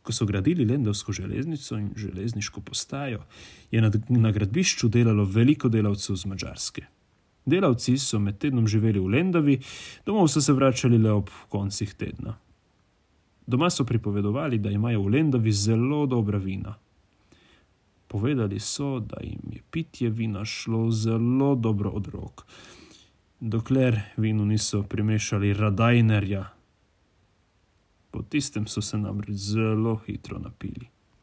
Ko so gradili lendavsko železnico in železniško postajo, je na gradbišču delalo veliko delavcev z Madžarske. Delavci so med tednom živeli v Lendavi, domov so se vračali le ob koncih tedna. Doma so pripovedovali, da imajo v Lendavi zelo dobra vina. Povedali so, da jim je pitje vina šlo zelo dobro od rok, dokler vinu niso primešali radajnerja. Po tistem so se namreč zelo hitro napili.